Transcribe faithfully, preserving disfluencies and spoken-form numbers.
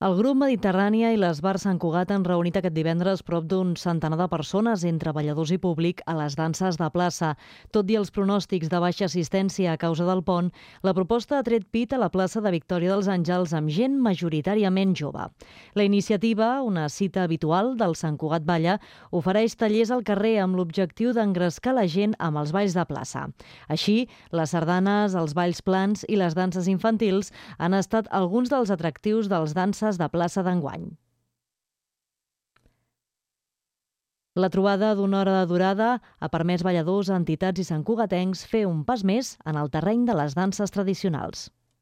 El grup Mediterrània i l'Esbar Sant Cugat han reunit aquest divendres prop d'un centenar de persones, entre balladors i públic, a les danses de plaça. Tot i els pronòstics de baixa assistència a causa del pont, la proposta ha tret pit a la plaça de Victòria dels Àngels amb gent majoritàriament jove. La iniciativa, una cita habitual del Sant Cugat Balla, ofereix tallers al carrer amb l'objectiu d'engrescar la gent amb els balls de plaça. Així, les sardanes, els balls plans i les danses infantils han estat alguns dels atractius dels danses de plaça d'enguany. La trobada d'una hora de durada ha permès balladors, entitats i santcugatencs fer un pas més en el terreny de les danses tradicionals.